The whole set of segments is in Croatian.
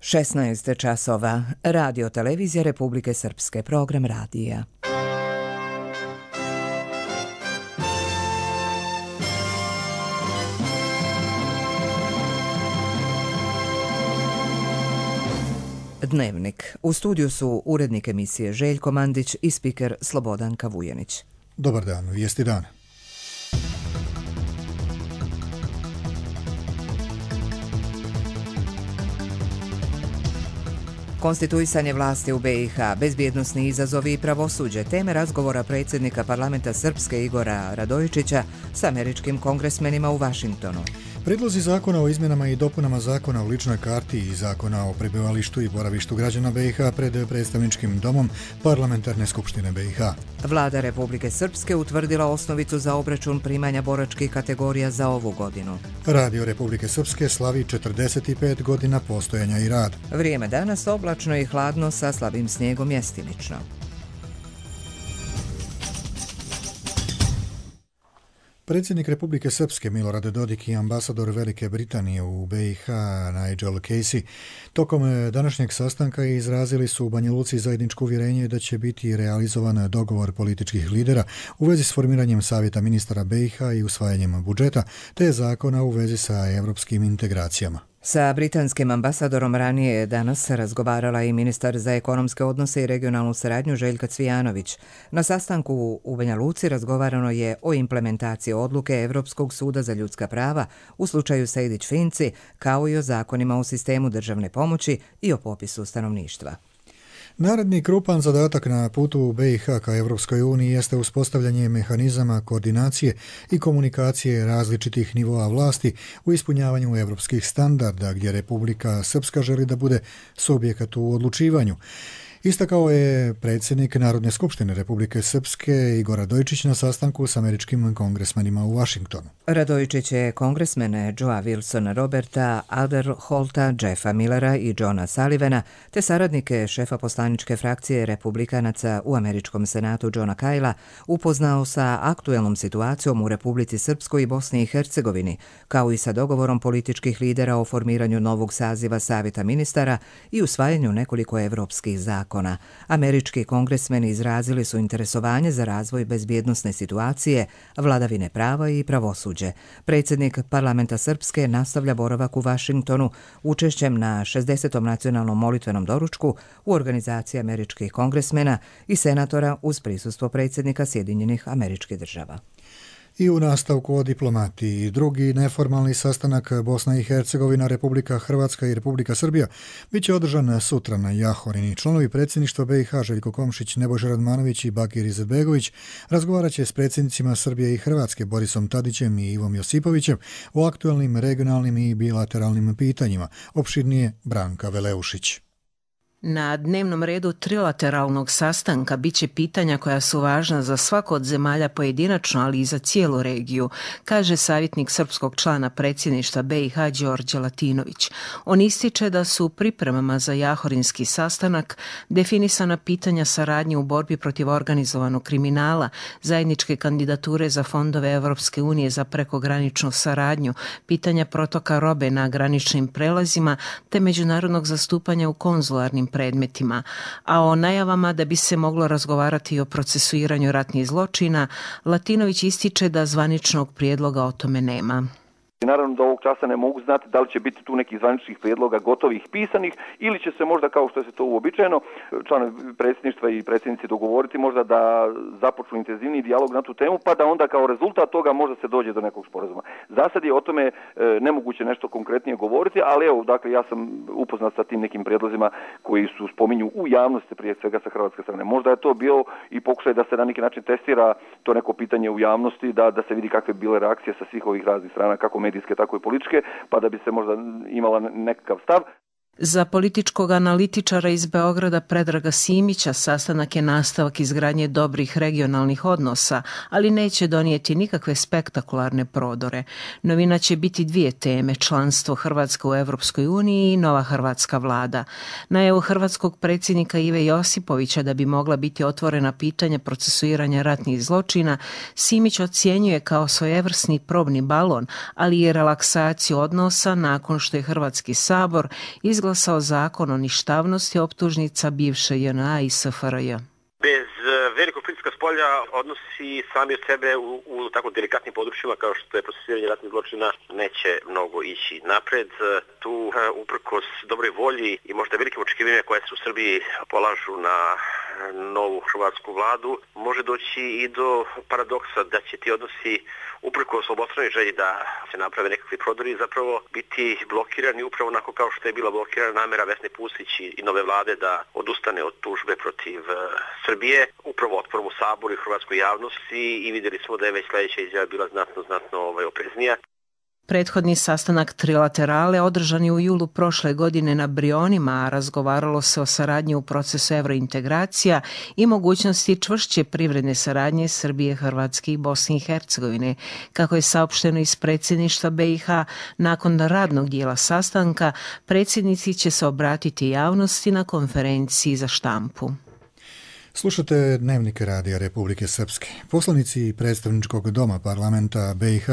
16 časova. Radio televizija Republike Srpske. Program radija. Dnevnik. U studiju su urednik emisije Željko Mandić i spiker Slobodanka Vujanić. Dobar dan, vijesti dana. Konstituisanje vlasti u BiH, bezbjednosni izazovi i pravosuđe, teme razgovora predsjednika parlamenta Srpske Igora Radojičića s američkim kongresmenima u Vašingtonu. Predlozi zakona o izmjenama i dopunama zakona o ličnoj karti i zakona o prebivalištu i boravištu građana BiH pred predstavničkim domom Parlamentarne skupštine BiH. Vlada Republike Srpske utvrdila osnovicu za obračun primanja boračkih kategorija za ovu godinu. Radio Republike Srpske slavi 45 godina postojanja i rad. Vrijeme danas oblačno i hladno sa slabim snijegom mjestimično. Predsjednik Republike Srpske Milorad Dodik i ambasador Velike Britanije u BiH Nigel Casey tokom današnjeg sastanka izrazili su u Banja Luci zajedničko uvjerenje da će biti realizovan dogovor političkih lidera u vezi s formiranjem Savjeta ministara BiH i usvajanjem budžeta, te zakona u vezi sa evropskim integracijama. Sa britanskim ambasadorom ranije je danas razgovarala i ministar za ekonomske odnose i regionalnu saradnju Željka Cvijanović. Na sastanku u Banja Luci razgovarano je o implementaciji odluke Europskog suda za ljudska prava u slučaju Sejdić-Finci, kao i o zakonima u sistemu državne pomoći i o popisu stanovništva. Naredni krupan zadatak na putu u BiH ka Evropskoj uniji jeste uspostavljanje mehanizama koordinacije i komunikacije različitih nivoa vlasti u ispunjavanju evropskih standarda, gdje Republika Srpska želi da bude subjekat u odlučivanju. Istakao je predsjednik Narodne skupštine Republike Srpske Igor Radojičić na sastanku s američkim kongresmenima u Vašingtonu. Radojičić je kongresmene Joea Wilsona Roberta, Alderholta, Jeffa Millera i Johna Sullivana, te saradnike šefa poslaničke frakcije republikanaca u američkom senatu Johna Kajla upoznao sa aktuelnom situacijom u Republici Srpskoj i Bosni i Hercegovini, kao i sa dogovorom političkih lidera o formiranju novog saziva Savjeta ministara i usvajanju nekoliko evropskih zakona. Američki kongresmeni izrazili su interesovanje za razvoj bezbjednosne situacije, vladavine prava i pravosuđe. Predsjednik parlamenta Srpske nastavlja boravak u Vašingtonu učešćem na 60. nacionalnom molitvenom doručku u organizaciji američkih kongresmena i senatora uz prisustvo predsjednika Sjedinjenih Američkih Država. I u nastavku o diplomati. Drugi neformalni sastanak Bosna i Hercegovina, Republika Hrvatska i Republika Srbija bit će održan sutra na Jahorini. Članovi predsjedništva BiH Željko Komšić, Nebojša Radmanović i Bakir Izetbegović razgovarat će s predsjednicima Srbije i Hrvatske Borisom Tadićem i Ivom Josipovićem o aktualnim regionalnim i bilateralnim pitanjima. Opširnije Branka Veleušić. Na dnevnom redu trilateralnog sastanka biće pitanja koja su važna za svako od zemalja pojedinačno, ali i za cijelu regiju, kaže savjetnik srpskog člana predsjedništva BiH Đorđe Latinović. On ističe da su u pripremama za jahorinski sastanak definisana pitanja saradnje u borbi protiv organizovanog kriminala, zajedničke kandidature za fondove Evropske unije za prekograničnu saradnju, pitanja protoka robe na graničnim prelazima te međunarodnog zastupanja u konzularnim predmetima, a o najavama da bi se moglo razgovarati i o procesuiranju ratnih zločina, Latinović ističe da zvaničnog prijedloga o tome nema. Naravno da ovog časa ne mogu znati da li će biti tu nekih zvaničnih prijedloga gotovih pisanih ili će se možda, kao što je to uobičajeno, članovi predsjedništva i predsjednici dogovoriti možda da započnu intenzivniji dijalog na tu temu, pa da onda kao rezultat toga možda se dođe do nekog sporazuma. Za sad je o tome nemoguće nešto konkretnije govoriti, ali evo, dakle, ja sam upoznat sa tim nekim prijedlozima koji su spominju u javnosti, prije svega sa hrvatske strane. Možda je to bio i pokušaj da se na neki način testira to neko pitanje u javnosti, da se vidi kakve bile reakcije sa svih ovih raznih strana, kako medijske, tako i političke, pa da bi se možda imala nekakav stav. Za političkog analitičara iz Beograda Predraga Simića sastanak je nastavak izgradnje dobrih regionalnih odnosa, ali neće donijeti nikakve spektakularne prodore. Novina će biti dvije teme, članstvo Hrvatske u Evropskoj uniji i nova hrvatska vlada. Najavu hrvatskog predsjednika Ive Josipovića da bi mogla biti otvorena pitanja procesuiranja ratnih zločina, Simić ocjenjuje kao svojevrsni probni balon, ali i relaksaciju odnosa nakon što je Hrvatski sabor izglasao izglasao zakon o ništavnosti optužnica bivše JNA i SFRJ. Bez velikog pritiska spolja odnosi sami od sebe u tako delikatnim područjima kao što je procesuiranje ratnih zločina neće mnogo ići napred. Tu uprkos dobroj volji i možda velikim očekivanjima koje se u Srbiji polažu na novu hrvatsku vladu, može doći i do paradoksa da će ti odnosi uprkos obostranoj želji da se naprave nekakvi prodori zapravo biti blokirani upravo onako kao što je bila blokirana namjera Vesne Pusić i nove vlade da odustane od tužbe protiv Srbije, upravo otporom u Saboru i hrvatskoj javnosti, i vidjeli smo da je već sljedeća izjava bila znatno opreznija. Prethodni sastanak trilaterale održan je u julu prošle godine na Brionima, a razgovaralo se o saradnji u procesu evrointegracija i mogućnosti čvršće privredne saradnje Srbije, Hrvatske i Bosne i Hercegovine. Kako je saopšteno iz predsjedništva BiH, nakon radnog dijela sastanka, predsjednici će se obratiti javnosti na konferenciji za štampu. Slušate Dnevnike Radija Republike Srpske. Poslanici predstavničkog doma parlamenta BiH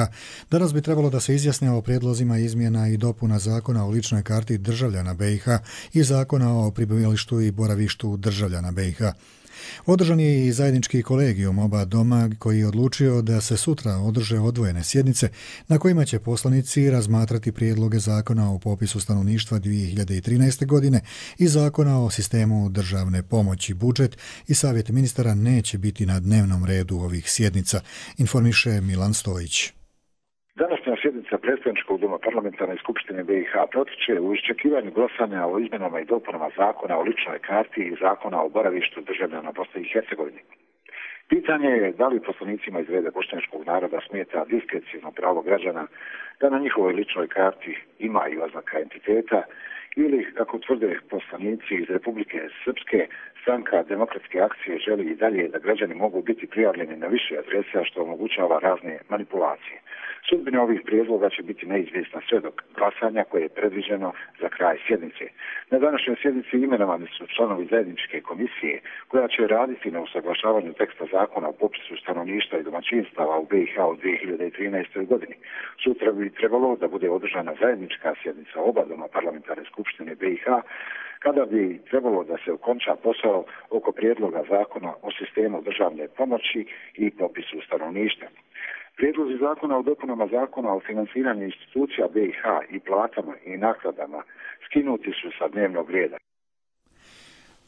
danas bi trebalo da se izjasne o prijedlozima izmjena i dopuna zakona o ličnoj karti državljana BiH i zakona o prebivalištu i boravištu državljana BiH. Održan je i zajednički kolegijum oba doma koji je odlučio da se sutra održe odvojene sjednice na kojima će poslanici razmatrati prijedloge zakona o popisu stanovništva 2013. godine i zakona o sistemu državne pomoći. Budžet i savjet ministara neće biti na dnevnom redu ovih sjednica, informiše Milan Stojić. Današnja sjednica predstavničkog doma parlamentarne skupštine BiH protiče u iščekivanju glasanja o izmjenama i dopunama zakona o ličnoj karti i zakona o boravištu državljana Bosne i Hercegovine. Pitanje je da li poslanicima iz reda bošnjačkog naroda smeta diskrecijno pravo građana da na njihovoj ličnoj karti ima i oznaka entiteta, ili, kako tvrde poslanici iz Republike Srpske, Stranka demokratske akcije želi i dalje da građani mogu biti prijavljeni na više adresa što omogućava razne manipulacije. Sudbina ovih prijedloga će biti neizvjesna sve do glasanja koje je predviđeno za kraj sjednice. Na današnjoj sjednici imenovani su članovi zajedničke komisije koja će raditi na usaglašavanju teksta zakona o popisu stanovništva i domaćinstava u BiH u 2013. godini. Sutra bi trebalo da bude održana zajednička sjednica oba doma parlamentarne skupštine BiH, kada bi trebalo da se okonča posao oko prijedloga zakona o sistemu državne pomoći i popisu stanovništva. Prijedlozi zakona o dopunama zakona o financiranju institucija BiH i platama i naknadama skinuti su sa dnevnog reda.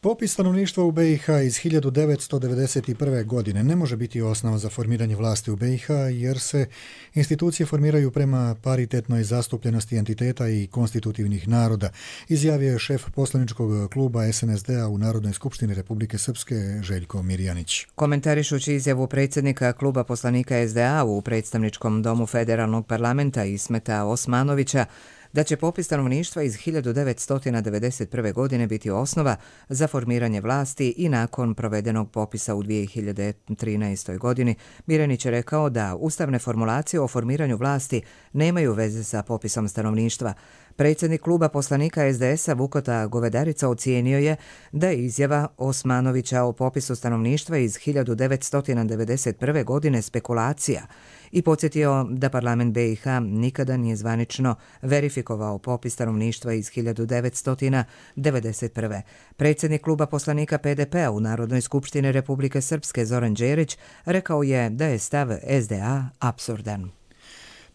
Popis stanovništva u BiH iz 1991. godine ne može biti osnova za formiranje vlasti u BiH jer se institucije formiraju prema paritetnoj zastupljenosti entiteta i konstitutivnih naroda, izjavio je šef poslaničkog kluba SNSD-a u Narodnoj skupštini Republike Srpske Željko Mirjanić. Komentarišući izjavu predsjednika kluba poslanika SDA u predstavničkom domu federalnog parlamenta Ismeta Osmanovića da će popis stanovništva iz 1991. godine biti osnova za formiranje vlasti i nakon provedenog popisa u 2013. godini, Mirjanić je rekao da ustavne formulacije o formiranju vlasti nemaju veze sa popisom stanovništva. Predsjednik kluba poslanika SDS-a Vukota Govedarica ocijenio je da je izjava Osmanovića o popisu stanovništva iz 1991. godine spekulacija i podsjetio da parlament BiH nikada nije zvanično verifikovao popis stanovništva iz 1991. Predsjednik kluba poslanika PDP-a u Narodnoj skupštini Republike Srpske Zoran Đerić rekao je da je stav SDA apsurdan.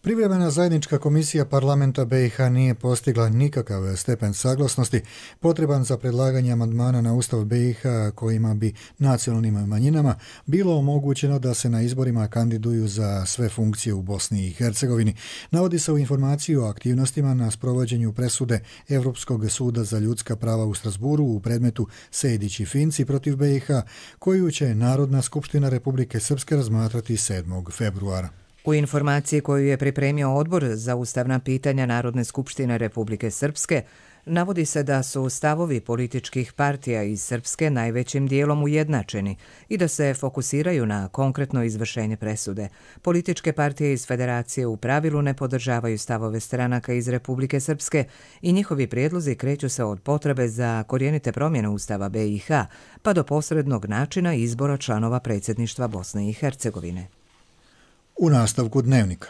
Privremena zajednička komisija parlamenta BiH nije postigla nikakav stepen saglasnosti potreban za predlaganje amandmana na Ustav BiH kojima bi nacionalnim manjinama bilo omogućeno da se na izborima kandiduju za sve funkcije u Bosni i Hercegovini. Navodi se u informaciji o aktivnostima na sprovođenju presude Europskog suda za ljudska prava u Strasburu u predmetu Sejdić i Finci protiv BiH, koju će Narodna skupština Republike Srpske razmatrati 7. februara. U informaciji koju je pripremio Odbor za ustavna pitanja Narodne skupštine Republike Srpske, navodi se da su stavovi političkih partija iz Srpske najvećim dijelom ujednačeni i da se fokusiraju na konkretno izvršenje presude. Političke partije iz Federacije u pravilu ne podržavaju stavove stranaka iz Republike Srpske i njihovi prijedlozi kreću se od potrebe za korijenite promjene Ustava BiH pa do posrednog načina izbora članova predsjedništva Bosne i Hercegovine. U nastavku dnevnika.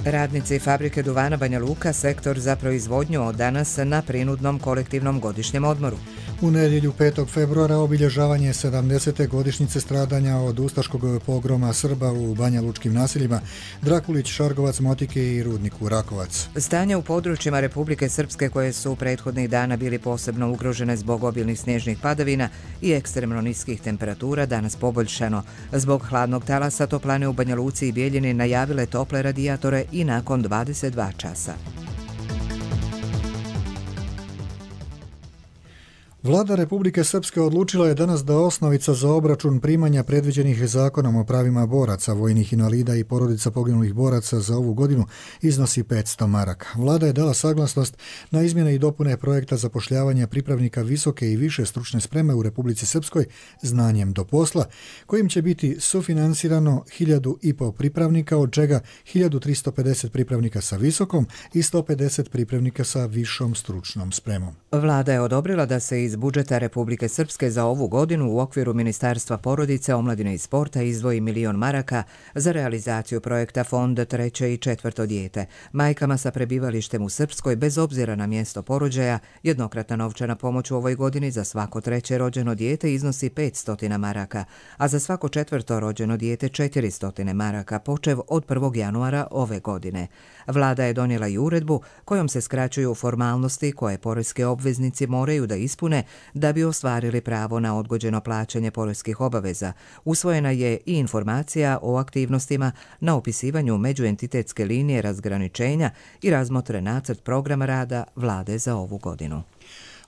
Radnici fabrike duvana Banja Luka sektor za proizvodnju od danas na prinudnom kolektivnom godišnjem odmoru. U nedjelju 5. februara obilježavanje 70. godišnjice stradanja od ustaškog pogroma Srba u Banja Lučkim naseljima Drakulić, Šargovac, Motike i rudniku Rakovac. Stanje u područjima Republike Srpske koje su prethodnih dana bili posebno ugrožene zbog obilnih snježnih padavina i ekstremno niskih temperatura danas poboljšano. Zbog hladnog talasa toplane u Banja Luci i Bijeljini najavile tople radijatore i nakon 22 časa. Vlada Republike Srpske odlučila je danas da osnovica za obračun primanja predviđenih zakonom o pravima boraca, vojnih invalida i porodica poginulih boraca za ovu godinu iznosi 500 maraka. Vlada je dala saglasnost na izmjene i dopune projekta zapošljavanja pripravnika visoke i više stručne spreme u Republici Srpskoj znanjem do posla, kojim će biti sufinansirano 1.500 pripravnika, od čega 1.350 pripravnika sa visokom i 150 pripravnika sa višom stručnom spremom. Vlada je odobrila da se iz budžeta Republike Srpske za ovu godinu u okviru Ministarstva porodice, omladine i sporta izdvoji 1.000.000 maraka za realizaciju projekta Fond 3. i 4. dijete. Majkama sa prebivalištem u Srpskoj bez obzira na mjesto porođaja jednokratna novčana pomoć u ovoj godini za svako 3. rođeno dijete iznosi 500 maraka, a za svako 4. rođeno dijete 400 maraka počev od 1. januara ove godine. Vlada je donijela i uredbu kojom se skraćuju formalnosti koje poreski obveznici moraju da ispune da bi ostvarili pravo na odgođeno plaćanje poreskih obaveza. Usvojena je i informacija o aktivnostima na opisivanju međuentitetske linije razgraničenja i razmotren nacrt programa rada Vlade za ovu godinu.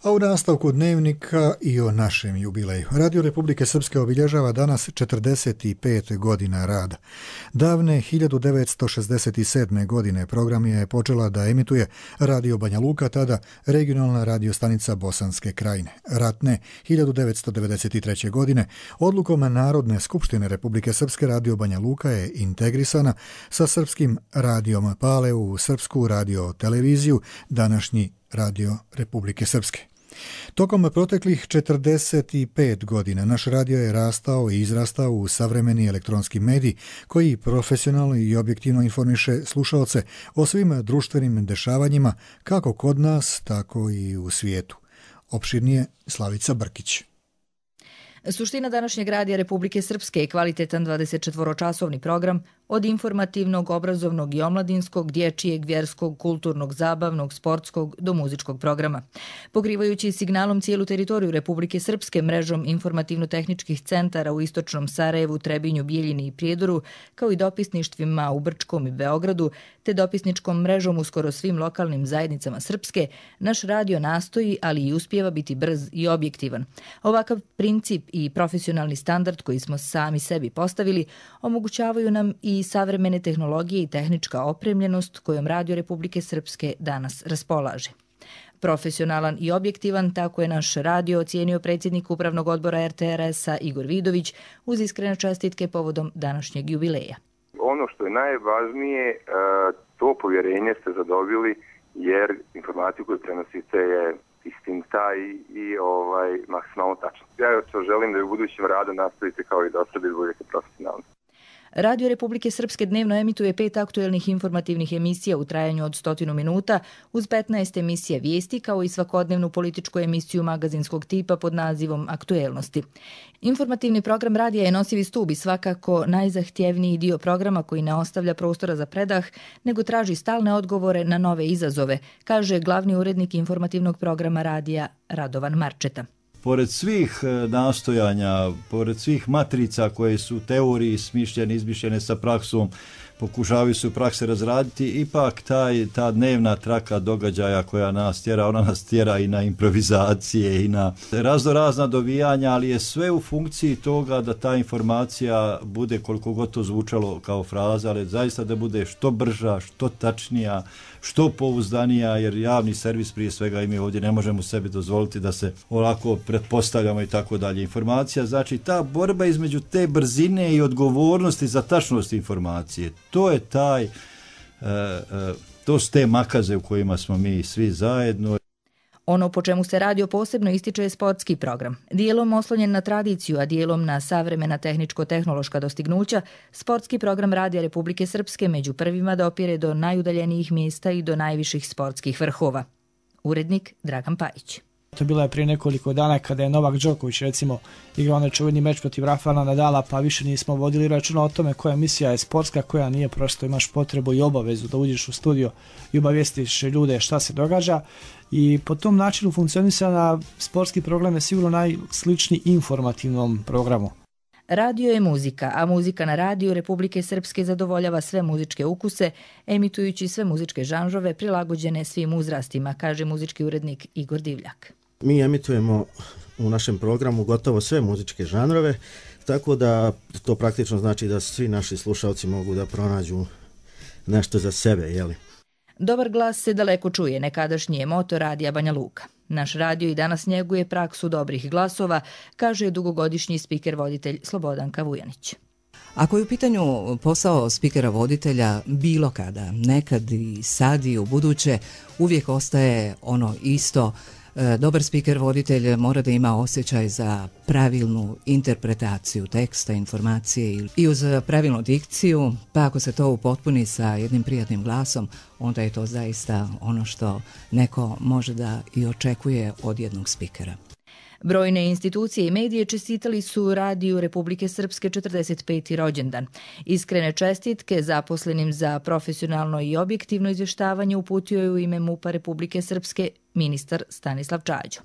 A u nastavku dnevnika i o našem jubileju. Radio Republike Srpske obilježava danas 45 godina rada. Davne 1967. godine program je počela da emituje Radio Banja Luka, tada regionalna radiostanica Bosanske krajine. Ratne 1993. godine odlukom Narodne skupštine Republike Srpske Radio Banja Luka je integrisana sa srpskim radijom Pale u srpsku radioteleviziju, današnji Radio Republike Srpske. Tokom proteklih 45 godina naš radio je rastao i izrastao u savremeni elektronski medij koji profesionalno i objektivno informiše slušaoce o svim društvenim dešavanjima kako kod nas, tako i u svijetu. Opširnije Slavica Brkić. Suština današnjeg radija Republike Srpske je kvalitetan 24-časovni program od informativnog, obrazovnog i omladinskog, dječijeg, vjerskog, kulturnog, zabavnog, sportskog do muzičkog programa. Pokrivajući signalom cijelu teritoriju Republike Srpske mrežom informativno-tehničkih centara u istočnom Sarajevu, Trebinju, Bijeljini i Prijedoru, kao i dopisništvima u Brčkom i Beogradu, te dopisničkom mrežom u skoro svim lokalnim zajednicama Srpske, naš radio nastoji, ali i uspijeva biti brz i objektivan. Ovakav princip i profesionalni standard koji smo sami sebi postavili omogućavaju nam i savremene tehnologije i tehnička opremljenost kojom Radio Republike Srpske danas raspolaže. Profesionalan i objektivan, tako je naš radio ocijenio predsjednik Upravnog odbora RTRS-a Igor Vidović uz iskrene čestitke povodom današnjeg jubileja. Ono što je najvažnije, to povjerenje ste zadobili jer informaciju koju prenosite je istinita i maksimalno tačno. Ja želim da u budućem radu nastavite kao i do sada i budete profesionalni. Radio Republike Srpske dnevno emituje 5 aktuelnih informativnih emisija u trajanju od 100 minuta uz 15 emisija vijesti kao i svakodnevnu političku emisiju magazinskog tipa pod nazivom Aktuelnosti. Informativni program radija je nosivi stub i svakako najzahtjevniji dio programa koji ne ostavlja prostora za predah, nego traži stalne odgovore na nove izazove, kaže glavni urednik informativnog programa radija Radovan Marčeta. Pored svih nastojanja, pored svih matrica koje su u teoriji smišljene, izmišljene sa praksom, pokušavaju se u praksi razraditi, ipak ta dnevna traka događaja koja nas tjera, ona nas tjera i na improvizacije i na raznorazna dovijanja, ali je sve u funkciji toga da ta informacija bude, koliko god to zvučalo kao fraza, ali zaista da bude što brža, što tačnija, što pouzdanija, jer javni servis prije svega i mi ovdje ne možemo sebi dozvoliti da se ovako pretpostavljamo i tako dalje. Informacija, znači ta borba između te brzine i odgovornosti za tačnost informacije, to je to su te makaze u kojima smo mi svi zajedno. Ono po čemu se radio posebno ističe je sportski program. Dijelom oslonjen na tradiciju, a dijelom na savremena tehničko-tehnološka dostignuća, sportski program Radija Republike Srpske među prvima dopire do najudaljenijih mjesta i do najviših sportskih vrhova. Urednik Dragan Pajić. To bilo je prije nekoliko dana kada je Novak Đoković recimo igrao onaj čuveni meč protiv Rafaela Nadala, pa više nismo vodili računa o tome koja emisija je sportska, koja nije, prosto imaš potrebu i obavezu da uđeš u studio i obavijestiš ljude šta se događa. I po tom načinu funkcionisanja sportski program je sigurno najsličniji informativnom programu. Radio je muzika, a muzika na radiju Republike Srpske zadovoljava sve muzičke ukuse, emitujući sve muzičke žanrove prilagođene svim uzrastima, kaže muzički urednik Igor Divljak. Mi emitujemo u našem programu gotovo sve muzičke žanrove, tako da to praktično znači da svi naši slušalci mogu da pronađu nešto za sebe, jeli? Dobar glas se daleko čuje, nekadašnji je moto Radija Banja Luka. Naš radio i danas njeguje praksu dobrih glasova, kaže dugogodišnji spiker-voditelj Slobodanka Vujanić. Ako je u pitanju posao spikera-voditelja bilo kada, nekad i sad i u buduće, uvijek ostaje ono isto. Dobar spiker-voditelj mora da ima osjećaj za pravilnu interpretaciju teksta, informacije i uz pravilnu dikciju, pa ako se to upotpuni sa jednim prijatnim glasom, onda je to zaista ono što neko može da i očekuje od jednog spikera. Brojne institucije i medije čestitali su Radiju Republike Srpske 45. rođendan. Iskrene čestitke zaposlenim za profesionalno i objektivno izvještavanje uputio je u ime MUP-a Republike Srpske ministar Stanislav Čađo.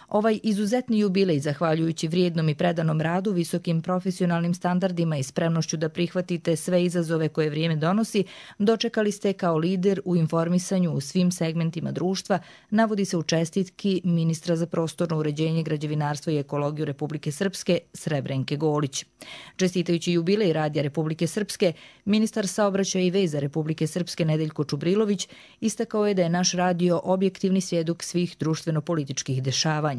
Ovaj izuzetni jubilej, zahvaljujući vrijednom i predanom radu, visokim profesionalnim standardima i spremnošću da prihvatite sve izazove koje vrijeme donosi, dočekali ste kao lider u informisanju u svim segmentima društva, navodi se u čestitki ministra za prostorno uređenje, građevinarstvo i ekologiju Republike Srpske Srebrenke Golić. Čestitajući jubilej Radija Republike Srpske, ministar saobraćaja i veza Republike Srpske Nedeljko Čubrilović istakao je da je naš radio objektivni svjedok svih društveno-političkih dešavanja.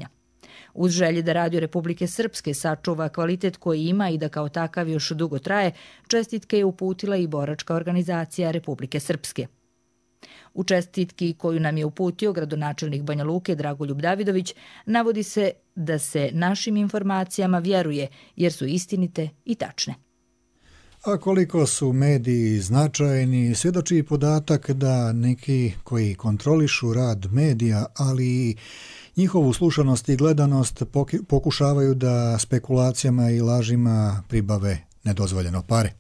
Uz želje da Radio Republike Srpske sačuva kvalitet koji ima i da kao takav još dugo traje, čestitke je uputila i boračka organizacija Republike Srpske. U čestitki koju nam je uputio gradonačelnik Banja Luke Dragoljub Davidović navodi se da se našim informacijama vjeruje jer su istinite i tačne. A koliko su mediji značajni, svjedoči i podatak da neki koji kontrolišu rad medija, ali i njihovu slušanost i gledanost pokušavaju da spekulacijama i lažima pribave nedozvoljeno pare.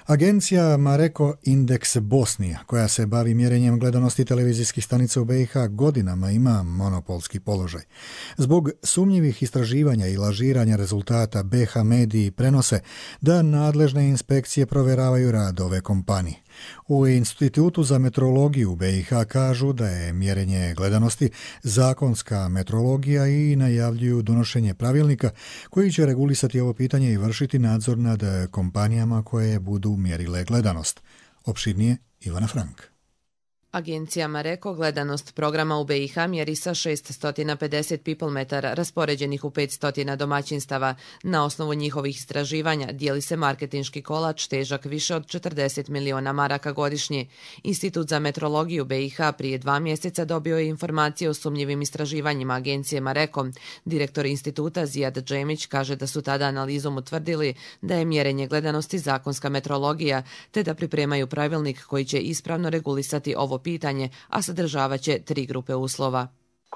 Agencija Mareko Indeks Bosnija, koja se bavi mjerenjem gledanosti televizijskih stanica u BiH, godinama ima monopolski položaj. Zbog sumnjivih istraživanja i lažiranja rezultata BiH mediji prenose da nadležne inspekcije provjeravaju rad ove kompanije. U Institutu za meteorologiju u BiH kažu da je mjerenje gledanosti zakonska meteorologija i najavljuju donošenje pravilnika koji će regulisati ovo pitanje i vršiti nadzor nad kompanijama koje budu mjerile gledanost. Opširnije Ivana Frank. Agencija Mareko gledanost programa u BiH mjeri sa 650 people metara raspoređenih u 500 domaćinstava. Na osnovu njihovih istraživanja dijeli se marketinški kolač težak više od 40 miliona maraka godišnje. Institut za meteorologiju BiH prije 2 mjeseca dobio je informacije o sumnjivim istraživanjima agencije Mareko. Direktor instituta Zijad Džemić kaže da su tada analizom utvrdili da je mjerenje gledanosti zakonska meteorologija, te da pripremaju pravilnik koji će ispravno regulisati ovo pitanje, a sadržavaće 3 grupe uslova.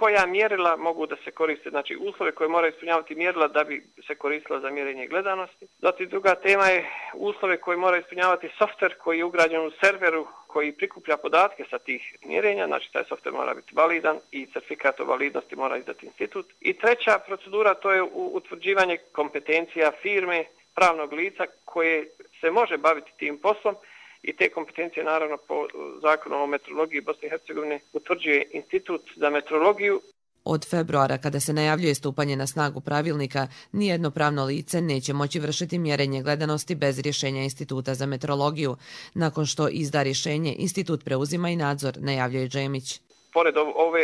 Koja mjerila mogu da se koriste, znači uslove koje moraju ispunjavati mjerila da bi se koristila za mjerenje gledanosti. Zatim druga tema je uslove koje mora ispunjavati softver koji je ugrađen u serveru koji prikuplja podatke sa tih mjerenja, znači taj softver mora biti validan i certifikat o validnosti mora izdati institut. I treća procedura to je utvrđivanje kompetencija firme, pravnog lica koje se može baviti tim poslom. I te kompetencije, naravno, po zakonu o meteorologiji Bosne i Hercegovine utvrđuje Institut za meteorologiju. Od februara, kada se najavljuje stupanje na snagu pravilnika, nijedno pravno lice neće moći vršiti mjerenje gledanosti bez rješenja Instituta za meteorologiju. Nakon što izda rješenje, institut preuzima i nadzor, najavljuje Džemić. Pored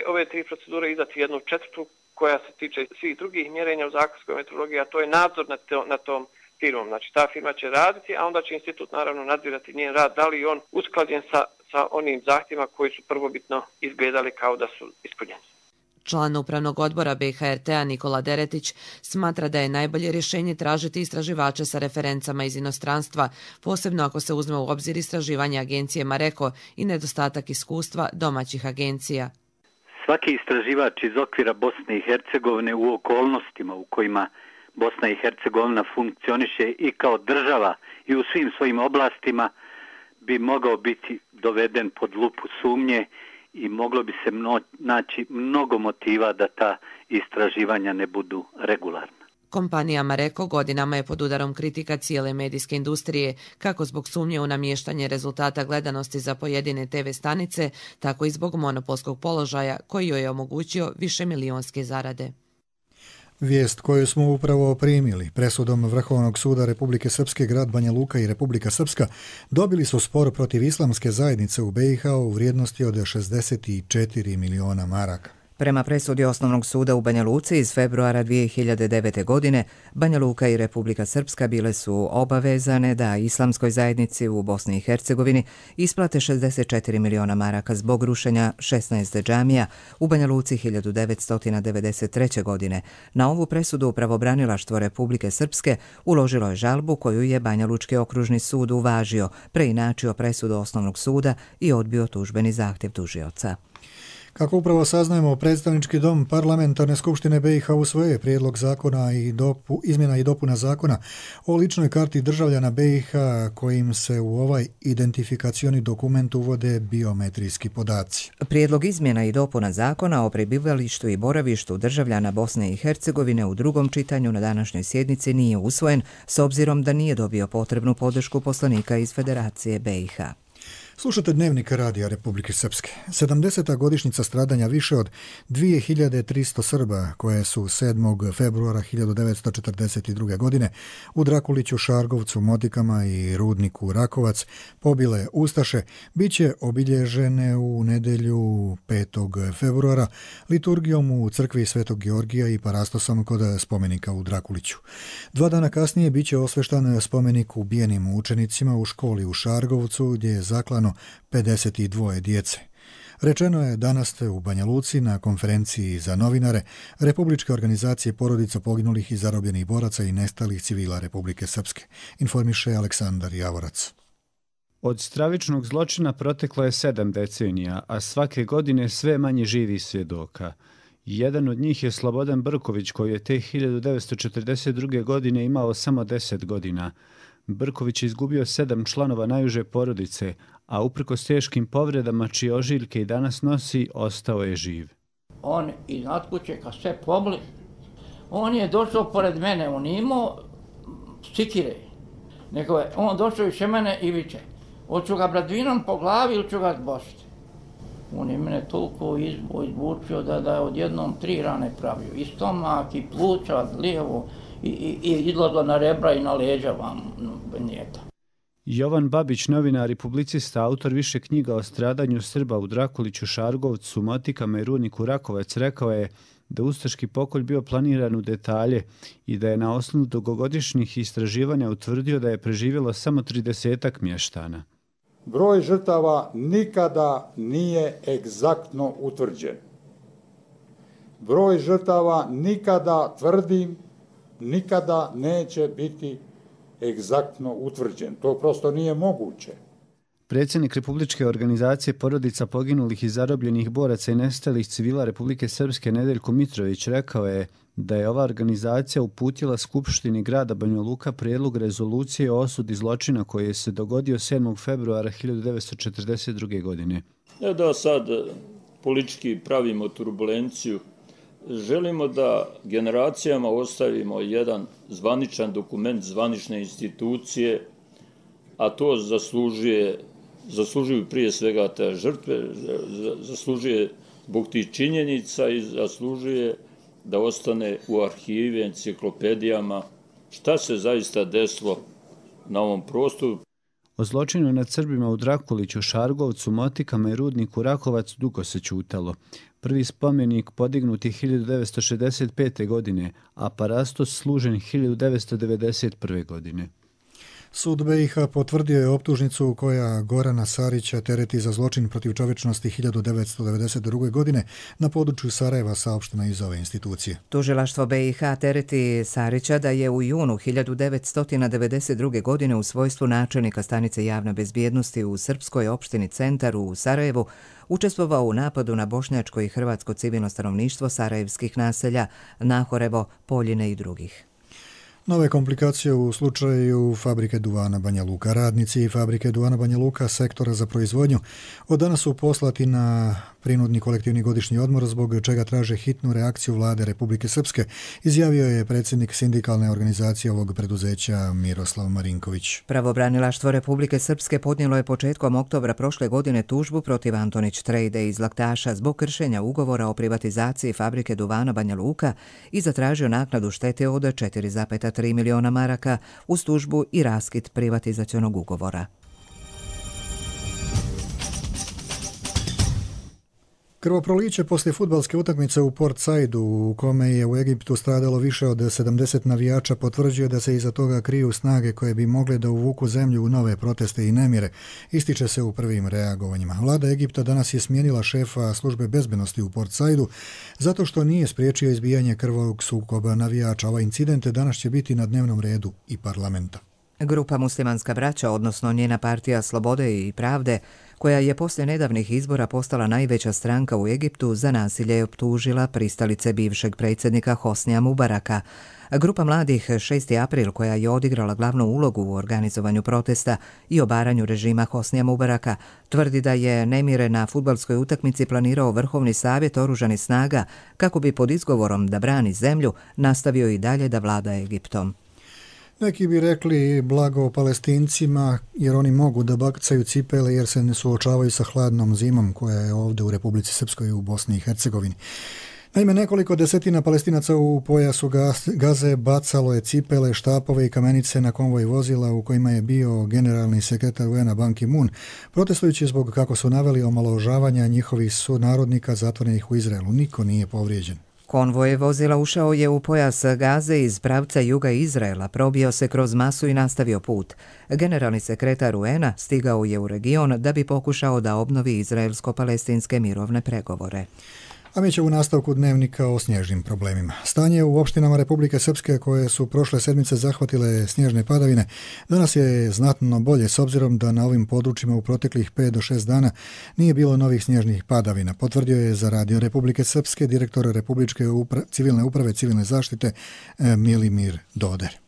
ove 3 procedure izdati jednu četvrtu koja se tiče svih drugih mjerenja u zakonskoj meteorologiji, a to je nadzor nad tom firmom. Znači ta firma će raditi, a onda će institut naravno nadzirati njen rad, da li je on usklađen sa onim zahtjevima koji su prvobitno izgledali kao da su ispunjeni. Član upravnog odbora BiH-RT-a Nikola Deretić smatra da je najbolje rješenje tražiti istraživače sa referencama iz inostranstva, posebno ako se uzme u obzir istraživanje agencije Mareko i nedostatak iskustva domaćih agencija. Svaki istraživač iz okvira Bosne i Hercegovine u okolnostima u kojima Bosna i Hercegovina funkcioniše i kao država i u svim svojim oblastima bi mogao biti doveden pod lupu sumnje i moglo bi se naći mnogo motiva da ta istraživanja ne budu regularna. Kompanija Mareko godinama je pod udarom kritika cijele medijske industrije, kako zbog sumnje u namještanje rezultata gledanosti za pojedine TV stanice, tako i zbog monopolskog položaja koji joj je omogućio višemilijonske zarade. Vijest koju smo upravo primili presudom Vrhovnog suda Republike Srpske, grad Banja Luka i Republika Srpska dobili su spor protiv islamske zajednice u BiH u vrijednosti od 64 miliona maraka. Prema presudi Osnovnog suda u Banja Luci iz februara 2009. godine, Banja Luka i Republika Srpska bile su obavezane da islamskoj zajednici u Bosni i Hercegovini isplate 64 miliona maraka zbog rušenja 16 džamija u Banja Luci 1993. godine. Na ovu presudu pravobranilaštvo Republike Srpske uložilo je žalbu koju je Banja Lučki okružni sud uvažio, preinačio presudu Osnovnog suda i odbio tužbeni zahtjev tužioca. Kako upravo saznajemo, predstavnički dom Parlamentarne skupštine BiH usvoje prijedlog zakona i izmjena i dopuna zakona o ličnoj karti državljana BiH kojim se u ovaj identifikacioni dokument uvode biometrijski podaci. Prijedlog izmjena i dopuna zakona o prebivalištu i boravištu državljana Bosne i Hercegovine u drugom čitanju na današnjoj sjednici nije usvojen s obzirom da nije dobio potrebnu podršku poslanika iz Federacije BiH. Slušate Dnevnik Radija Republike Srpske. 70. godišnjica stradanja više od 2300 Srba koje su 7. februara 1942. godine u Drakuliću, Šargovcu, Motikama i Rudniku Rakovac pobile Ustaše, bit će obilježene u nedjelju 5. februara liturgijom u crkvi Svetog Georgija i parastosom kod spomenika u Drakuliću. 2 dana kasnije bit će osveštan spomenik ubijenim učenicima u školi u Šargovcu gdje je zaklano 52 djece. Rečeno je danas u Banja Luci na konferenciji za novinare Republičke organizacije porodica poginulih i zarobljenih boraca i nestalih civila Republike Srpske, informiše Aleksandar Javorac. Od stravičnog zločina proteklo je 7 decenija, a svake godine sve manje živih svjedoka. Jedan od njih je Slobodan Brković, koji je te 1942. godine imao samo 10 godina. Brković je izgubio 7 članova najuže porodice, a uprkos teškim povredama čije ožiljke i danas nosi, ostao je živ. On iznad kuće, kad sve pobli, on je došao pored mene, on imao sikire. Nego je on došao više mene i viče, hoću ga bradvinom po glavi ili ću ga zbošiti. On je mene toliko izbučio da je odjednom 3 rane pravio. I stomak, i pluća, lijevo, i izlazilo na rebra i na leđa vam nijeta. Jovan Babić, novinar i publicista, autor više knjiga o stradanju Srba u Drakuliću, Šargovcu, Motikama i Rudniku Rakovac, rekao je da ustaški pokolj bio planiran u detalje i da je na osnovu dugogodišnjih istraživanja utvrdio da je preživjelo samo 30-ak mještana. Broj žrtava nikada nije egzaktno utvrđen. Broj žrtava nikada, tvrdim, nikada neće biti egzaktno utvrđen. To prosto nije moguće. Predsjednik Republičke organizacije porodica poginulih i zarobljenih boraca i nestalih civila Republike Srpske Nedeljko Mitrović rekao je da je ova organizacija uputila Skupštini grada Banja Luka prijedlog rezolucije o osudi zločina koji je se dogodio 7. februara 1942. godine. Da sad politički pravimo turbulenciju, želimo da generacijama ostavimo jedan zvaničan dokument zvanične institucije, a to zaslužuju prije svega te žrtve, zaslužuje zbog tih činjenica i zaslužuje da ostane u arhivi, enciklopedijama šta se zaista desilo na ovom prostoru. O zločinu nad Srbima u Drakuliću, Šargovcu, Motikama i Rudniku Rakovac dugo se ćutalo. Prvi spomenik podignut je 1965. godine, a parastos služen 1991. godine. Sud BiH potvrdio je optužnicu koja Gorana Sarića tereti za zločin protiv čovječnosti 1992. godine na području Sarajeva, saopšteno iz ove institucije. Tužilaštvo BiH tereti Sarića da je u junu 1992. godine u svojstvu načelnika stanice javne bezbjednosti u srpskoj opštini Centar u Sarajevu učestvovao u napadu na bošnjačko i hrvatsko civilno stanovništvo sarajevskih naselja Nahorevo, Poljine i drugih. Nove komplikacije u slučaju fabrike duvana Banja Luka. Radnici fabrike duvana Banja Luka, sektora za proizvodnju, od danas su poslati na prinudni kolektivni godišnji odmor, zbog čega traže hitnu reakciju vlade Republike Srpske, izjavio je predsjednik sindikalne organizacije ovog preduzeća Miroslav Marinković. Pravobranilaštvo Republike Srpske podnijelo je početkom oktobra prošle godine tužbu protiv Antonić Trejde iz Laktaša zbog kršenja ugovora o privatizaciji fabrike duvana Banja Luka i zatražio naknadu štete od 4,3 miliona maraka uz tužbu i raskid privatizacionog ugovora. Krvoproliće poslije fudbalske utakmice u Port Saidu, u kome je u Egiptu stradalo više od 70 navijača, potvrđuje da se iza toga kriju snage koje bi mogle da uvuku zemlju u nove proteste i nemire, ističe se u prvim reagovanjima. Vlada Egipta danas je smijenila šefa službe bezbednosti u Port Saidu zato što nije spriječio izbijanje krvavog sukoba navijača. Ovaj incident danas će biti na dnevnom redu i parlamenta. Grupa Muslimanska braća, odnosno njena partija Slobode i pravde, koja je poslije nedavnih izbora postala najveća stranka u Egiptu, za nasilje je optužila pristalice bivšeg predsjednika Hosnija Mubaraka. Grupa mladih 6. april, koja je odigrala glavnu ulogu u organizovanju protesta i obaranju režima Hosnija Mubaraka, tvrdi da je nemire na fudbalskoj utakmici planirao Vrhovni savjet oružanih snaga kako bi pod izgovorom da brani zemlju nastavio i dalje da vlada Egiptom. Neki bi rekli blago Palestincima jer oni mogu da bacaju cipele jer se ne suočavaju sa hladnom zimom koja je ovdje u Republici Srpskoj i u Bosni i Hercegovini. Naime, nekoliko desetina Palestinaca u pojasu Gaze bacalo je cipele, štapove i kamenice na konvoj vozila u kojima je bio generalni sekretar UN-a Ban Ki-moon, protestujući zbog, kako su naveli, omalovažavanja njihovih sunarodnika zatvorenih u Izraelu. Niko nije povrijeđen. Konvoj vozila ušao je u pojas Gaze iz pravca juga Izraela, probio se kroz masu i nastavio put. Generalni sekretar UN-a stigao je u region da bi pokušao da obnovi izraelsko-palestinske mirovne pregovore. A mi će u nastavku dnevnika o snježnim problemima. Stanje u opštinama Republike Srpske koje su prošle sedmice zahvatile snježne padavine danas je znatno bolje s obzirom da na ovim područjima u proteklih 5 do 6 dana nije bilo novih snježnih padavina. Potvrdio je za Radio Republike Srpske direktor Republičke civilne uprave civilne zaštite Milimir Doder.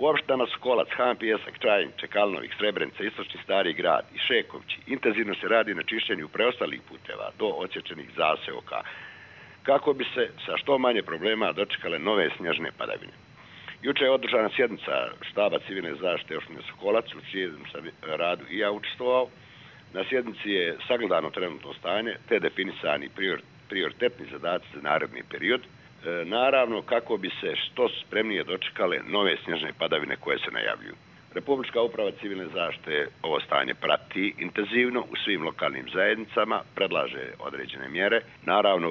U opštinama su Kolac, Han, Pijesak, Čajin, Čekalnovik, Srebrenica, Istočni Stari Grad i Šekovići. Intenzivno se radi na čišćenju preostalih puteva do odsječenih zaseoka kako bi se sa što manje problema dočekale nove snježne padavine. Juče je održana sjednica štaba civilne zaštite opštine Sokolac, u čijem sam radu i ja učestvovao. Na sjednici je sagledano trenutno stanje te definisani prioritetni zadaci za naredni period. Naravno, kako bi se što spremnije dočekale nove snježne padavine koje se najavljuju. Republička uprava civilne zaštite ovo stanje prati intenzivno u svim lokalnim zajednicama, predlaže određene mjere. Naravno,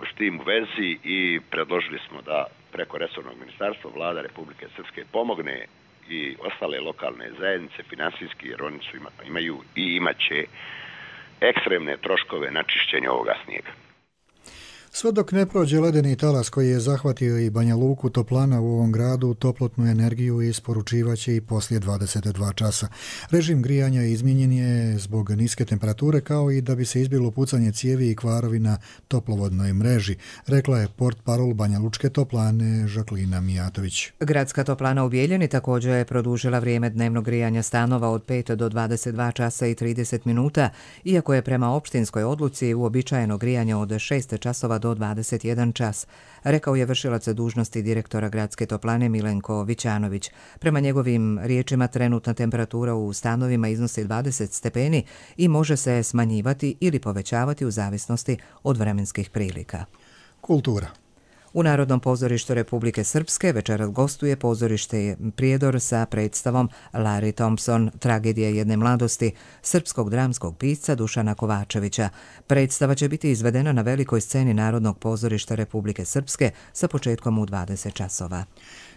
s tim u vezi i predložili smo da preko resornog ministarstva Vlada Republike Srpske pomogne i ostale lokalne zajednice finansijski, jer oni imaju i imaće ekstremne troškove na čišćenje ovoga snijega. Sve dok ne prođe ledeni talas koji je zahvatio i Banja Luku, toplana u ovom gradu toplotnu energiju isporučivaće i poslije 22 časa. Režim grijanja izmijenjen je zbog niske temperature, kao i da bi se izbjeglo pucanje cijevi i kvarovi na toplovodnoj mreži, rekla je portparol Banja Lučke toplane Žaklina Mijatović. Gradska toplana u Bijeljini također je produžila vrijeme dnevnog grijanja stanova od 5 do 22 časa i 30 minuta, iako je prema opštinskoj odluci uobičajeno grijanje od 6 časova do 21 čas, rekao je vršilac dužnosti direktora Gradske toplane Milenko Vićanović. Prema njegovim riječima trenutna temperatura u stanovima iznosi 20 stepeni i može se smanjivati ili povećavati u zavisnosti od vremenskih prilika. Kultura. U Narodnom pozorištu Republike Srpske večeras gostuje pozorište Prijedor sa predstavom Larry Thompson, tragedija jedne mladosti, srpskog dramskog pisca Dušana Kovačevića. Predstava će biti izvedena na velikoj sceni Narodnog pozorišta Republike Srpske sa početkom u 20 časova.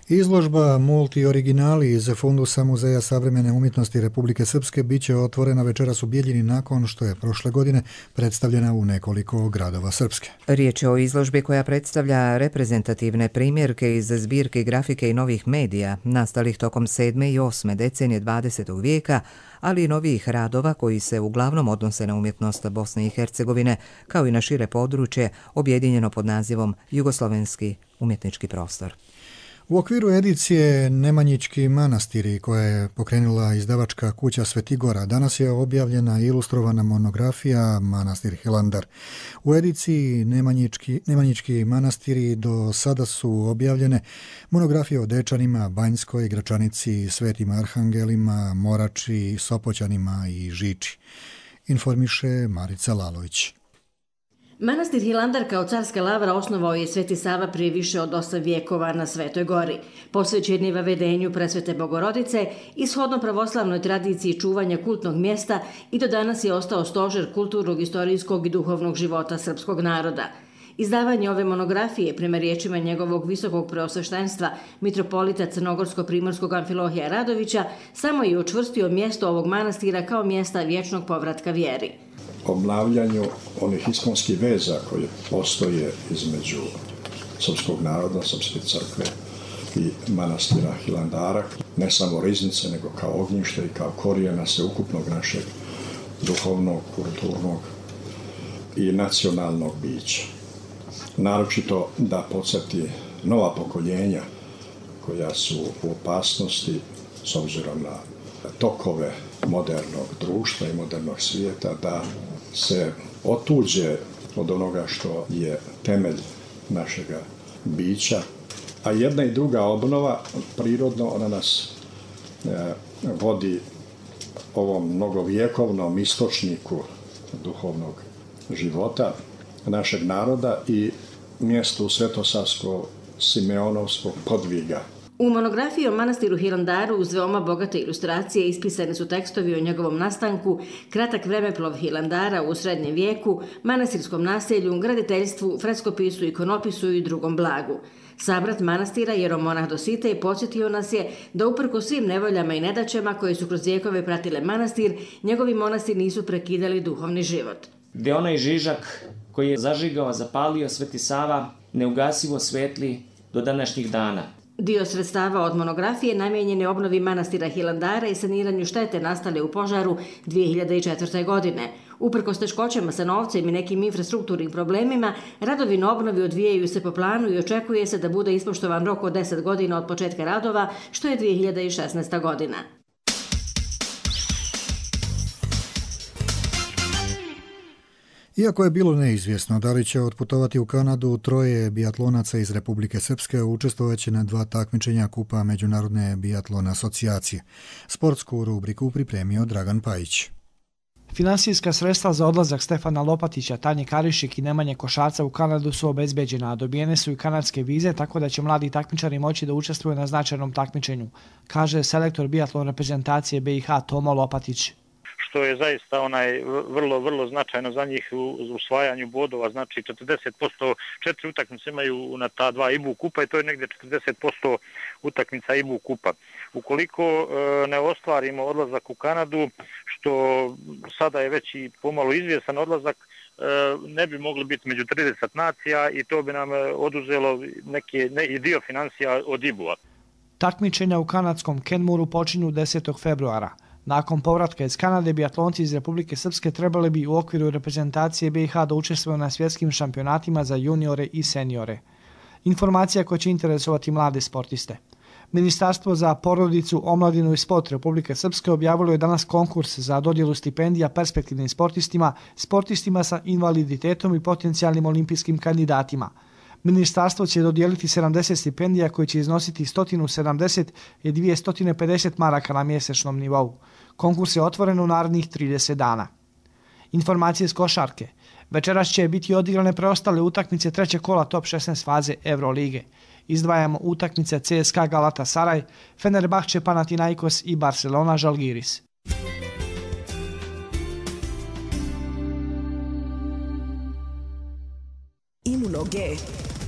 Izložba Multi originali iz fundusa Muzeja savremene umjetnosti Republike Srpske bit će otvorena večeras u Bijeljini nakon što je prošle godine predstavljena u nekoliko gradova Srpske. Riječ je o izložbi koja predstavlja reprezentativne primjerke iz zbirke grafike i novih medija nastalih tokom 7. i 8. decenije 20. vijeka, ali i novih radova koji se uglavnom odnose na umjetnost Bosne i Hercegovine, kao i na šire područje objedinjeno pod nazivom Jugoslovenski umjetnički prostor. U okviru edicije Nemanjički manastiri koja je pokrenula izdavačka kuća Svetigora, danas je objavljena ilustrovana monografija Manastir Hilandar. U ediciji Nemanjički manastiri do sada su objavljene monografije o Dečanima, Banjskoj, Gračanici, Svetim Arhangelima, Morači, Sopoćanima i Žiči. Informiše Marica Lalović. Manastir Hilandar kao carska lavra osnovao je Sveti Sava prije više od 8 vijekova na Svetoj gori. Posvećen je vavedenju Presvete Bogorodice i shodno pravoslavnoj tradiciji čuvanja kultnog mjesta i do danas je ostao stožer kulturnog, istorijskog i duhovnog života srpskog naroda. Izdavanje ove monografije, prema riječima njegovog visokog preosveštenstva, mitropolita Crnogorsko-primorskog Amfilohija Radovića, samo je učvrstio mjesto ovog manastira kao mjesta vječnog povratka vjeri. Obnavljanju onih iskonskih veza koje postoje između srpskog naroda, srpske crkve i manastira Hilandara, ne samo riznice, nego kao ognjište i kao korijena sveukupnog našeg duhovnog, kulturnog i nacionalnog bića. Naročito da podsjeti nova pokoljenja koja su u opasnosti s obzirom na tokove modernog društva i modernog svijeta, da se otuđe od onoga što je temelj našega bića. A jedna i druga obnova, prirodno, ona nas vodi ovom mnogovjekovnom istočniku duhovnog života našeg naroda i mjestu Svetosavsko-Simeonovskog podviga. U monografiji o manastiru Hilandaru uz veoma bogate ilustracije ispisani su tekstovi o njegovom nastanku, kratak vremeplov Hilandara u srednjem vijeku, manastirskom naselju, graditeljstvu, freskopisu, ikonopisu i drugom blagu. Sabrat manastira, jeromonah Dositej, podsjetio nas je da uprko svim nevoljama i nedaćama koje su kroz vijekove pratile manastir, njegovi monasi nisu prekidali duhovni život. Gde onaj žižak koji je zažigao, zapalio Sveti Sava, neugasivo svetli do današnjih dana. Dio sredstava od monografije namijenjen je obnovi manastira Hilandara i saniranju štete nastale u požaru 2004. godine. Uprkos teškoćama sa novcem i nekim infrastrukturnim problemima, radovi na obnovi odvijaju se po planu i očekuje se da bude ispoštovan rok od 10 godina od početka radova, što je 2016. godina. Iako je bilo neizvjesno da li će otputovati u Kanadu, troje bijatlonaca iz Republike Srpske učestvovaće na 2 takmičenja Kupa Međunarodne bijatlon asocijacije. Sportsku rubriku pripremio Dragan Pajić. Finansijska sredstva za odlazak Stefana Lopatića, Tanje Karišik i Nemanje Košarca u Kanadu su obezbeđena, a dobijene su i kanadske vize, tako da će mladi takmičari moći da učestvuju na značajnom takmičenju, kaže selektor bijatlon reprezentacije BiH Tomo Lopatić. Što je zaista vrlo značajno za njih u usvajanju bodova, znači 40%, 4 utakmice imaju na ta 2 IBU kupa i to je negdje 40% utakmica IBU kupa. Ukoliko ne ostvarimo odlazak u Kanadu, što sada je već i pomalo izvjestan odlazak, ne bi mogli biti među 30 nacija i to bi nam oduzelo neki dio financija od IBU-a. Takmičenja u kanadskom Kenmuru počinju 10. februara. Nakon povratka iz Kanade, bijatlonci iz Republike Srpske trebali bi u okviru reprezentacije BiH da učestvuju na svjetskim šampionatima za juniore i seniore. Informacija koja će interesovati mlade sportiste. Ministarstvo za porodicu, omladinu i sport Republike Srpske objavilo je danas konkurs za dodjelu stipendija perspektivnim sportistima sa invaliditetom i potencijalnim olimpijskim kandidatima. Ministarstvo će dodijeliti 70 stipendija koje će iznositi 170 i 250 maraka na mjesečnom nivou. Konkurs je otvoren u narednih 30 dana. Informacije s košarke. Večeras će biti odigrane preostale utakmice trećeg kola top 16 faze Eurolige. Izdvajamo utakmice CSKA Galatasaray, Fenerbahče Panathinaikos i Barcelona Žalgiris. Imuno G.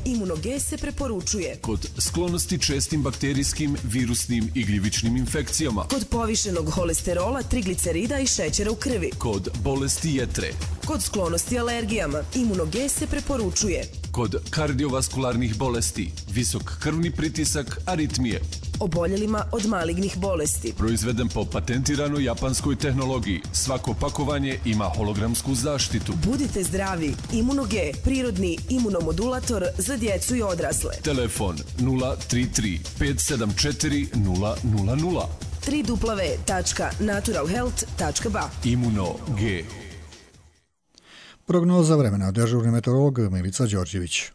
Imunoge se preporučuje kod sklonosti čestim bakterijskim, virusnim i gljivičnim infekcijama, kod povišenog holesterola, triglicerida i šećera u krvi, kod bolesti jetre, kod sklonosti alergijama. Imunoge se preporučuje kod kardiovaskularnih bolesti, visok krvni pritisak, aritmije, oboljelima od malignih bolesti. Proizveden po patentiranoj japanskoj tehnologiji. Svako pakovanje ima hologramsku zaštitu. Budite zdravi. Imunoge, prirodni imunomodulator za djecu i odrasle. Telefon 033 574 000. www.naturalhealth.ba. Imuno-G. Prognoza vremena, dežurni meteorolog Milica Đorđević.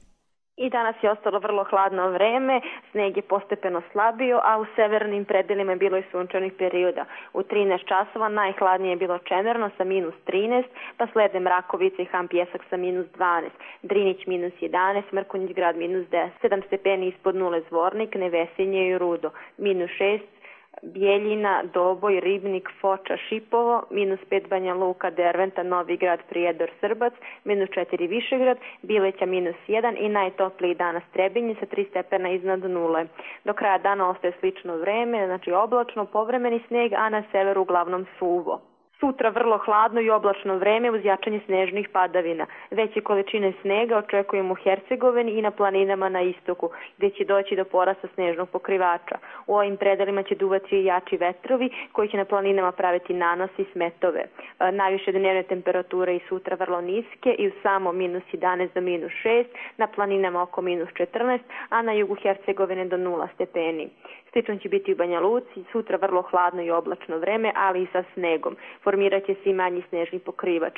I danas je ostalo vrlo hladno vreme, sneg je postepeno slabio, a u severnim predelima je bilo i sunčanih perioda. U 13 časova najhladnije je bilo Čemerno sa -13, pa slede Mrakovica i Han Pjesak sa -12, Drinić -11, Mrkonjić Grad -10, 7 stepeni ispod nule Zvornik, Nevesinje i Rudo, -6, Bijeljina, Doboj, Ribnik, Foča, Šipovo, -5 Banja Luka, Derventa, Novi Grad, Prijedor, Srbac, -4 Višegrad, Bileća -1 i najtopliji danas Trebinje sa 3 stepena iznad nule. Do kraja dana ostaje slično vreme, znači oblačno, povremeni sneg, a na severu uglavnom suvo. Sutra vrlo hladno i oblačno vreme uz jačanje snežnih padavina. Veće količine snega očekujemo u Hercegovini i na planinama na istoku, gdje će doći do porasta snežnog pokrivača. U ovim predelima će duvati i jači vetrovi koji će na planinama praviti nanos i smetove. Najviše dnevne temperature i sutra vrlo niske i u samo -11 do -6, na planinama oko -14, a na jugu Hercegovine do 0 stepeni. Slično će biti u Banja Luci, sutra vrlo hladno i oblačno vreme, ali i sa snegom. Formirat će se i manji snežni pokrivač.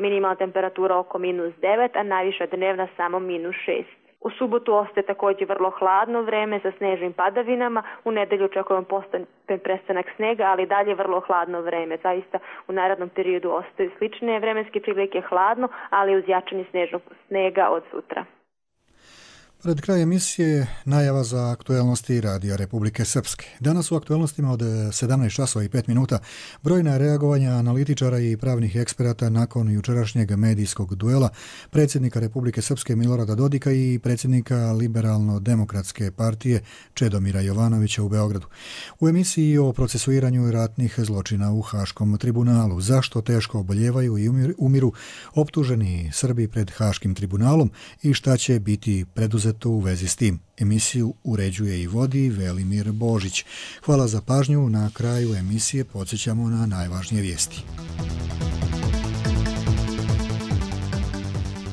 Minimalna temperatura oko -9, a najviša dnevna samo -6. U subotu ostaje također vrlo hladno vreme sa snežnim padavinama. U nedelju očekujemo postepen prestanak snega, ali dalje vrlo hladno vreme. Zaista u narednom periodu ostaju slične vremenske prilike, hladno, ali uz jačanje snežnog snega od sutra. Pred kraj emisije najava za aktuelnosti Radija Republike Srpske. Danas u aktuelnostima od 17 časova i 5 minuta brojna reagovanja analitičara i pravnih eksperata nakon jučerašnjeg medijskog duela predsjednika Republike Srpske Milorada Dodika i predsjednika Liberalno-demokratske partije Čedomira Jovanovića u Beogradu. U emisiji o procesuiranju ratnih zločina u Haškom tribunalu, zašto teško oboljevaju i umiru optuženi Srbi pred Haškim tribunalom i šta će biti preduzeto u vezi s tim. Emisiju uređuje i vodi Velimir Božić. Hvala za pažnju. Na kraju emisije podsjećamo na najvažnije vijesti.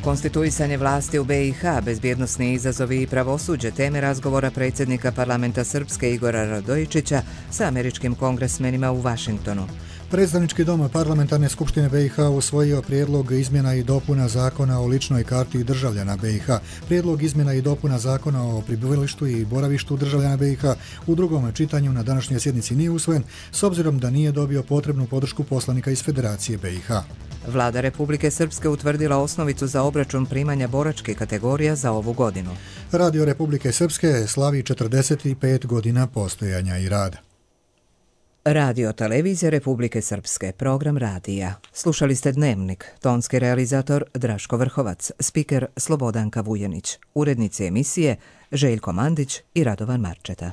Konstituisanje vlasti u BiH, bezbjednosni izazovi i pravosuđe, teme razgovora predsjednika parlamenta Srpske Igora Radojičića sa američkim kongresmenima u Vašingtonu. Predstavnički dom Parlamentarne skupštine BiH usvojio prijedlog izmjena i dopuna zakona o ličnoj karti državljana BiH. Prijedlog izmjena i dopuna zakona o prebivalištu i boravištu državljana BiH u drugom čitanju na današnjoj sjednici nije usvojen, s obzirom da nije dobio potrebnu podršku poslanika iz Federacije BiH. Vlada Republike Srpske utvrdila osnovicu za obračun primanja boračkih kategorija za ovu godinu. Radio Republike Srpske slavi 45 godina postojanja i rada. Radio Televizija Republike Srpske, program radija. Slušali ste Dnevnik, tonski realizator Draško Vrhovac, spiker Slobodanka Vujanić, urednici emisije Željko Mandić i Radovan Marčeta.